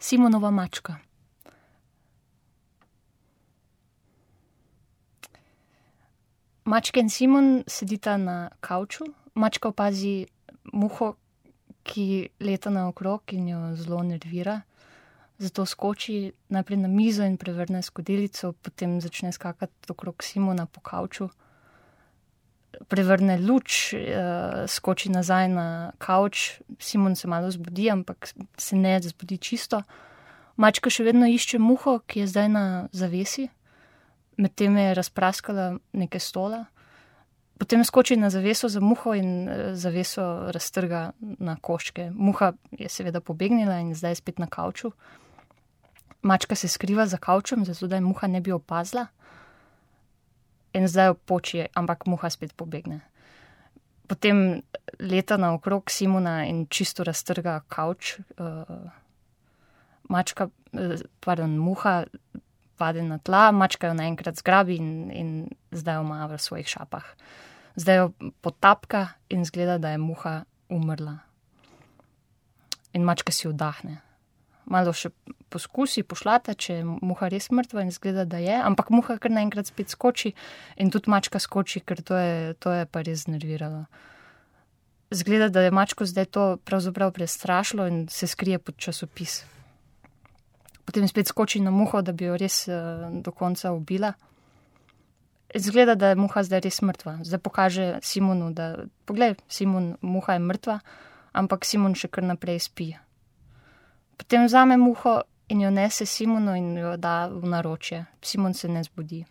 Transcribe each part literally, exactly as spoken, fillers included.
Simonova mačka. Mačka in Simon sedita na kavču. Mačka opazi muho, ki leta naokrog in jo zelo nervira. Zato skoči najprej na mizo in prevrne skodelico, potem začne skakati okrog Simona po kavču. Prevrne luč, skoči nazaj na kavč. Simon se malo zbudi, ampak se ne zbudi čisto. Mačka še vedno išče muho, ki je zdaj na zavesi. Medtem je razpraskala nekaj stola. Potem skoči na zaveso za muho in zaveso raztrga na koščke. Muha je seveda pobegnila in zdaj je spet na kavču. Mačka se skriva za kavčem, zato da je muha ne bi opazila. In zdaj jo poči, ampak muha spet pobegne. Potem leta naokrog Simona in čisto raztrga kavč. Mačka, pardon, muha pade na tla, mačka jo naenkrat zgrabi in, in zdaj jo ima v svojih šapah. Zdaj jo potapka in zgleda, da je muha umrla. In mačka si vdahne. Malo še poskusi, pošlata, če je muha res mrtva in zgleda, da je, ampak muha kar naenkrat spet skoči in tudi mačka skoči, ker to je, to je pa res znerviralo. Zgleda, da je mačko zdaj to pravzaprav prestrašilo in se skrije pod časopis. Potem spet skoči na muho, da bi jo res uh, do konca ubila. Zgleda, da je muha zdaj res mrtva. Zdaj pokaže Simonu, da poglej, Simon, muha je mrtva, ampak Simon še kar naprej spi. Potem vzame muho in jo nese Simonu in jo da v naročje. Simon se ne zbudi.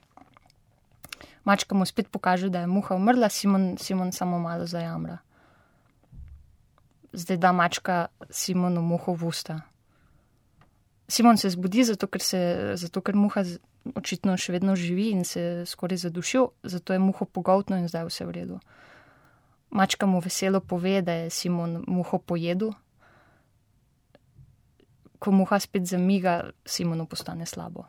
Mačka mu spet pokaže, da je muha umrla, Simon, Simon samo malo zajamra. Zdaj da mačka Simonu muho v usta. Simon se zbudi, zato ker, se, zato ker muha očitno še vedno živi in se skoraj zadušil, zato je muho pogoltno in zdaj vse v redu. Mačka mu veselo pove, da je Simon muho pojedel. Ko muha spet zamiga, Simonu postane slabo.